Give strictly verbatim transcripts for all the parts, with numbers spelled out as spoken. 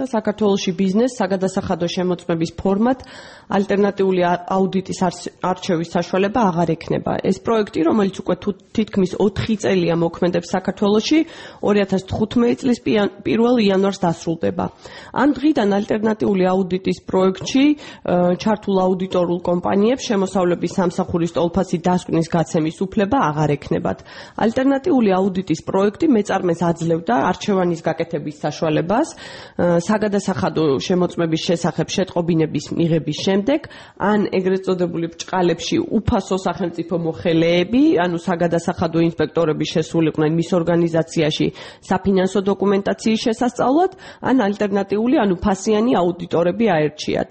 და საქართველოში ბიზნეს საგადასახადო შემოწმების ფორმატ ალტერნატიული აუდიტის არჩევის საშუალება აღარ ექნება. ეს პროექტი, რომელიც უკვე თითქმის ოთხი წელია მოქმედებს საქართველოში, ორი ათას თხუთმეტი წლის პირველ იანვარს დასრულდება. ამ დღიდან ალტერნატიული აუდიტის პროექტში ჩართულ აუდიტორულ კომპანიებს შემოსავლების სამსახურის ტოლფასი დასკვნის გაცემის უფლება აღარ ექნებათ. ალტერნატიული აუდიტის პროექტი მეწარმეს აძლევდა არჩევანის გაკეთების საშუალებას საგადასახადო შემოწმების შესახებ შეტყობინების მიღების შემდეგ, ან ეგრეთ წოდებული ბრჭყალებში უფასო სახელმწიფო მოხელეები, ანუ საგადასახადო ინსპექტორები შესულიყვნენ მის ორგანიზაციაში საფინანსო დოკუმენტაციის შესასწავლად, ან ალტერნატიული, ანუ ფასიანი აუდიტორები აერჩიათ.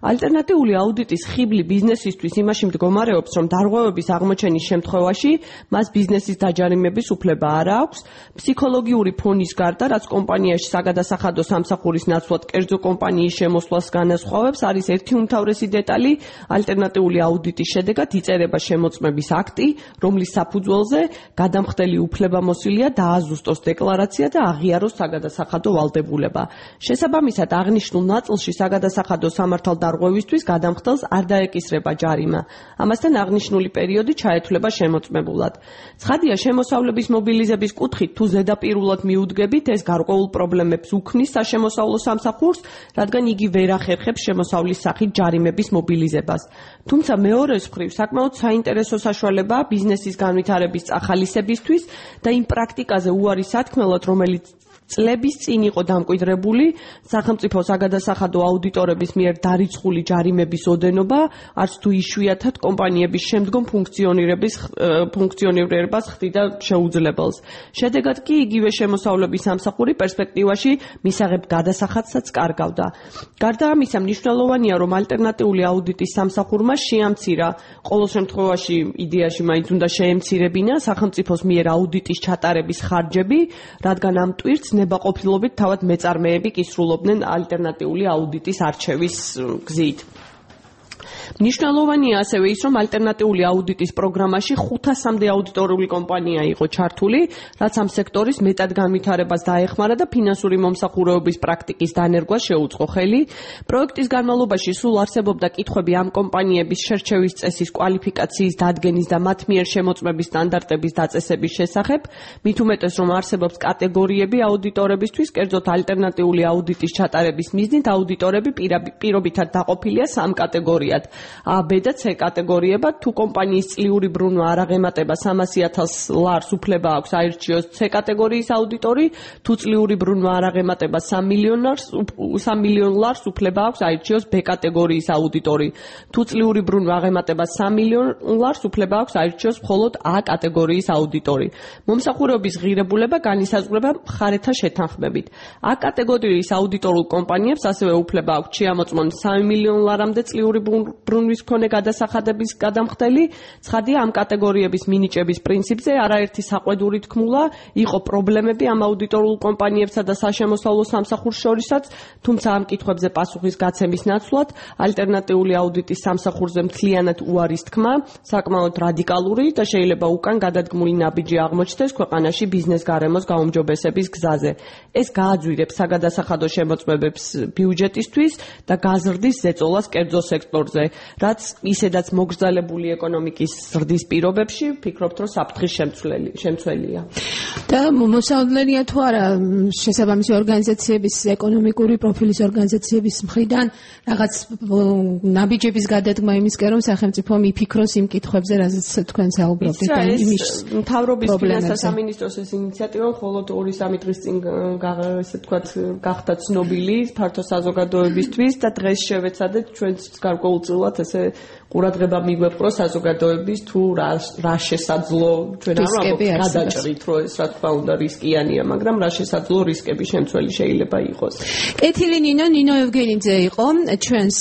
ალტერნატიული აუდიტის ხიბლი ბიზნესისთვის იმაში მდგომარეობს, რომ დარღვევების აღმოჩენის შემთხვევაში მას ბიზნესის დაჯარიმების უფლება არ აქვს. ფსიქოლოგიური ფონის გარდა, რაც კომპანიაში საგადასახადო სამსახურის ნაცვლად კერძო კომპანიის შემოსვლას განასხვავებს, არის ერთი უმთავრესი დეტალი. ალტერნატიული აუდიტის შედეგად იწერება შემოწმების აქტი, რომლის საფუძველზე გადამხდელი უფლებამოსილია დააზუსტოს დეკლარაცია და აღიაროს საგადასახადო ვალდებულება. შესაბამისად, აღნიშნულ ნაწილში საგადასახადო სამართალდარღვევისთვის გადამხდელს არ დაეკისრება ჯარიმა. ამასთან აღნიშნული პერიოდი ჩაეთვლება შემოწმებულად. ცხადია, შემოსავლების მობილიზების კუთხით თუ ზედაპირულად მიუდგებით, ეს გარკვეულ პრობლემებს უქმნის საშემოსავლო სამსახურს, რადგან იგი ვერ ახერხებს შემოსავლის სახით ჯარიმების მობილიზებას. თუმცა მეორეს მხრივ საკმაოდ საინტერესო საშუალებაა ბიზნესის განვითარების წახალისებისთვის და იმ პრაქტიკაზე უარი სათქმელად, რომელიც წლების წინ იყო დამკვიდრებული სახელმწიფო საგადასახადო აუდიტორების მიერ დარიცხული ჯარიმების ოდენობა, არც თუ იშვიათად კომპანიების შემდგომ ფუნქციონირების ფუნქციონირებას ხდიდა შეუძლებელს. შედეგად კი იგივე შემოსავლების სამსახური პერსპექტივაში მისაღებ გადასახადსაც კარგავდა. გარდა ამისა, მნიშვნელოვანია, რომ ალტერნატიული აუდიტის სამსახურმა შეამცირა, ყოველ შემთხვევაში იდეაში მაინც უნდა შეემცირებინა სახელმწიფოს მიერ აუდიტის ჩატარების ხარჯები, რადგან ამ ტვირთს ნებაყოფილობით თავად მეწარმეები კისრულობდნენ ალტერნატიული აუდიტის არჩევის გზით. მნიშვნელოვანია ასევე ის, რომ ალტერნატიული აუდიტის პროგრამაში ხუთასამდე აუდიტორული კომპანია იყო ჩართული, რაც ამ სექტორის მეტად განვითარებას დაეხმარა და ფინანსური მომსახურეობის პრაქტიკის დანერგვას შეუწყო ხელი. პროექტის განმავლობაში სულ არსებობდა კითხვები ამ კომპანიების შერჩევის წესის კვალიფიკაციის დადგენის და მათ მიერ შემოწმების სტანდარტების დაწესების შესახებ, მით უმეტეს, რომ არსებობს კატეგორიები აუდიტორებისთვის, კერძოდ ალტერნატიული აუდიტის ჩატარების მიზნით აუდიტორები პირობითად დაყოფილია სამ კატეგორიად. A, B და C კატეგორიებად, თუ კომპანიის წლიური ბრუნვა არ აღემატება სამასი ათას ლარს უფლება აქვს აირჩიოს C კატეგორიის აუდიტორი, თუ წლიური ბრუნვა არ აღემატება სამ მილიონ ლარს უფლება აქვს აირჩიოს B კატეგორიის აუდიტორი, თუ წლიური ბრუნვა აღემატება სამ მილიონ ლარს უფლება აქვს აირჩიოს მხოლოდ A კატეგორიის აუდიტორი. მომსახურეობის ღირებულება განისაზღვრება მხარეთა შეთანხმებით. A კატეგორიის აუდიტორულ კომპანიებს ასევე უფლება აქვს შეამოწმონ სამი მილიონ ლარამდე წლიური ბრუნვის მქონე გადასახადების გადამხდელი. ცხადია, ამ კატეგორიების მინიჭების პრინციპზე არაერთი საყვედური თქმულა იყო პრობლემები ამ აუდიტორულ კომპანიებსა და საშემოსავლო სამსახურს შორისაც, თუმცა ამ კითხვებზე პასუხის გაცემის ნაცვლად ალტერნატიული აუდიტის სამსახურზე მთლიანად უარის თქმა საკმაოდ რადიკალური და შეიძლება უკან გადადგმული ნაბიჯი აღმოჩნდეს ქვეყანაში ბიზნეს გარემოს გაუმჯობესების გზაზე. ეს გააძვირებს საგადასახადო შემოწმებებს ბიუჯეტისთვის და გაზრდის ზეწოლას კერძო სექტორზე, რაც ისედაც მოგრძალებული ეკონომიკის ზრდის პირობებში ვფიქრობთ, რომ საფრთხის შემცველია. და მოსავლენია თუ არა შესაბამისი ორგანიზაციების, ეკონომიკური პროფილის ორგანიზაციების მხრიდან რაღაც ნაბიჯების გადადგმა იმისკენ, რომ სახელმწიფო მიფიქროს იმ კითხვებზე, რაზეც თქვენ საუბრობთ. მთავრობის ფინანსთა სამინისტროს ეს ინიციატივა მხოლოდ ორი სამი დღის წინ ესე ვთქვათ გახდა ცნობილი ფართო საზოგადოებისთვის და დღეს შევეცადეთ ჩვენც გარკვეულწილად ესე ყურადღება მიგვეპყრო საზოგადოების თუ რა შესაძლო ჩვენ არ გადაჭრით, რომ ეს რა თქმა უნდა რისკიანია, მაგრამ რა შესაძლო რისკები შემცველი შეიძლება იყოს. კეთილი ნინო, ნინო ევგენიძე იყო ჩვენს